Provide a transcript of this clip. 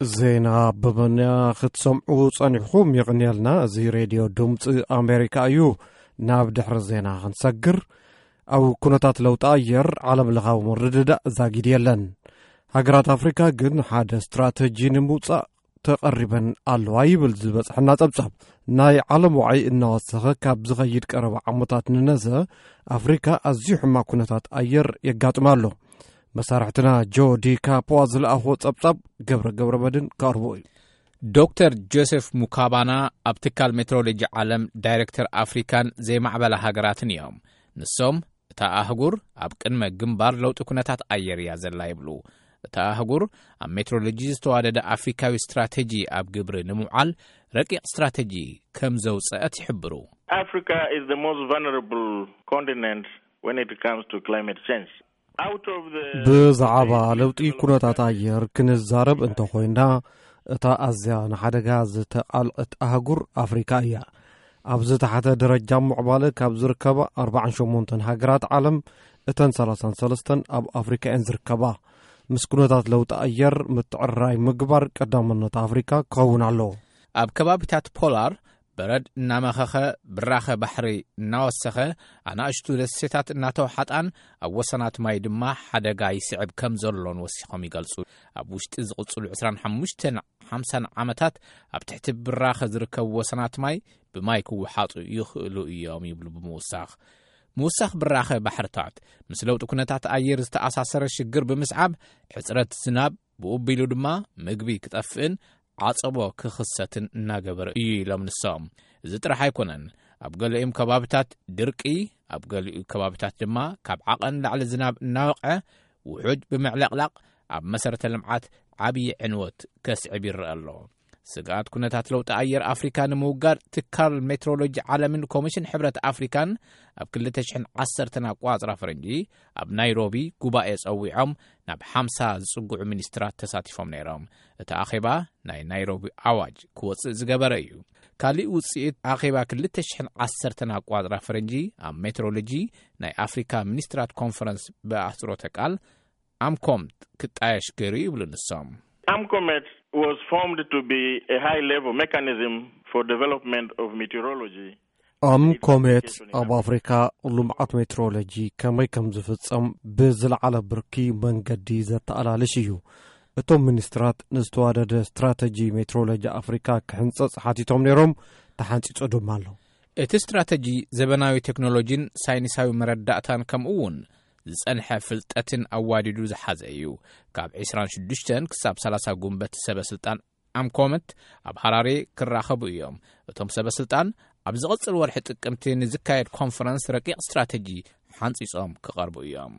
ዜና ብመንያ ክትሰምዑ ጸኒሕኹም የቕንየልና። እዚ ሬድዮ ድምፂ ኣሜሪካ እዩ። ናብ ድሕሪ ዜና ክንሰግር፣ ኣብ ኩነታት ለውጢ ኣየር ዓለም ለኻዊ ምርድዳእ ዛጊድ የለን። ሃገራት ኣፍሪካ ግን ሓደ ስትራተጂ ንምውፃእ ተቐሪበን ኣለዋ ይብል ዝበፅሐና ጸብጻብ። ናይ ዓለም ዋዒ እናወሰኸ ካብ ዝኸይድ ቀረባ ዓመታት ንነዘ ኣፍሪካ ኣዝዩ ሕማቕ ኩነታት ኣየር የጋጥማ ኣሎ። መሳርሕትና ጆ ዲ ካፖ ዝለኣኽዎ ጸብጻብ ገብረ ገብረ መድን ከቕርቦ እዩ። ዶክተር ጆሴፍ ሙካባና ኣብ ትካል ሜትሮሎጂ ዓለም ዳይሬክተር ኣፍሪካን ዘይማዕበላ ሃገራትን እዮም። ንሶም እታ ኣህጉር ኣብ ቅድመ ግንባር ለውጢ ኩነታት ኣየር እያ ዘላ ይብሉ። እታ ኣህጉር ኣብ ሜትሮሎጂ ዝተዋደደ ኣፍሪካዊ ስትራተጂ ኣብ ግብሪ ንምውዓል ረቂቕ ስትራተጂ ከም ዘውፀአት ይሕብሩ። Africa is the most vulnerable continent when it comes to climate change. Out of the ብዛዕባ ለውጢ ኩነታት ኣየር ክንዛረብ እንተኾይና፣ እታ ኣዝያ ንሓደጋ ዝተቓልዐት ኣህጉር ኣፍሪካ እያ። ኣብ ዝተሓተ ደረጃ ምዕባለ ካብ ዝርከባ ኣርባዓን ሸሞንተን ሃገራት ዓለም፣ እተን ሰላሳን ሰለስተን ኣብ ኣፍሪካ እየን ዝርከባ። ምስ ኩነታት ለውጢ ኣየር ምትዕርራይ ምግባር ቀዳምነት ኣፍሪካ ክኸውን ኣለዎ። ኣብ ከባቢታት ፖላር በረድ እናመኸኸ፣ ብራኸ ባሕሪ እናወሰኸ፣ ኣናእሽቱ ደሴታት እናተውሓጣን ኣብ ወሰናት ማይ ድማ ሓደጋ ይስዕብ ከም ዘሎን ወሲኾም ይገልጹ። ኣብ ውሽጢ ዝቕጽሉ ዕስራን ሓሙሽተን ሓምሳን ዓመታት ኣብ ትሕቲ ብራኸ ዝርከቡ ወሰናት ማይ ብማይ ክወሓጡ ይኽእሉ እዮም ይብሉ ብምውሳኽ። ምውሳኽ ብራኸ ባሕርታት ምስ ለውጢ ኩነታት ኣየር ዝተኣሳሰረ ሽግር ብምስዓብ፣ ሕጽረት ዝናብ፣ ብኡ ኣቢሉ ድማ ምግቢ ክጠፍእን ዓጸቦ ክኽሰትን እናገበረ እዩ ኢሎም ንሶም። እዚ ጥራሕ ኣይኮነን። ኣብ ገሊኦም ከባብታት ድርቂ፣ ኣብ ገሊኡ ከባብታት ድማ ካብ ዓቐን ላዕሊ ዝናብ እናወቕዐ ውሑጅ ብምዕለቕላቕ ኣብ መሰረተ ልምዓት ዓብዪ ዕንወት ከስዕብ ይረአ ኣሎ። ስግኣት ኩነታት ለውጢ ኣየር ኣፍሪካ ንምውጋድ ትካል ሜትሮሎጂ ዓለምን ኮሚሽን ሕብረት ኣፍሪካን ኣብ ክልተ ሽሕን ዓሰርተን ኣቋጽራ ፈረንጂ ኣብ ናይሮቢ ጉባኤ ጸዊዖም ናብ ሓምሳ ዝጽግዑ ሚኒስትራት ተሳቲፎም ነይሮም። እቲ ኣኼባ ናይ ናይሮቢ ኣዋጅ ክወጽእ ዝገበረ እዩ። ካሊእ ውጽኢት ኣኼባ ክልተ ሽሕን ዓሰርተን ኣቋጽራ ፈረንጂ ኣብ ሜትሮሎጂ ናይ ኣፍሪካ ሚኒስትራት ኮንፈረንስ ብኣህጽሮተ ቃል ኣምኮምት ክጣየሽ ገይሩ ይብሉ ንሶም። AMCOMET was formed to be a high level mechanism for development of meteorology. ኣምኮሜት ኣብ ኣፍሪካ ልምዓት ሜትሮሎጂ ከመይ ከም ዝፍጸም ብዝለዓለ ብርኪ መንገዲ ዘተኣላልሽ እዩ። እቶም ሚኒስትራት ንዝተዋደደ ስትራተጂ ሜትሮሎጂ ኣፍሪካ ክሕንጸጽ ሓቲቶም ነይሮም። ተሓንጺጹ ድማ ኣሎ። እቲ ስትራተጂ ዘበናዊ ቴክኖሎጂን ሳይንሳዊ መረዳእታን ከምኡ እውን ዝጸንሐ ፍልጠትን ኣዋዲዱ ዝሓዘ እዩ። ካብ ዕስራን ሽዱሽተን ክሳብ ሰላሳ ጉንበት ሰበ ስልጣን ኣምኮመት ኣብ ሃራሬ ክራኸቡ እዮም። እቶም ሰበ ስልጣን ኣብ ዝቕጽል ወርሒ ጥቅምቲ ንዝካየድ ኮንፈረንስ ረቂቕ ስትራተጂ ሓንጺጾም ክቐርቡ እዮም።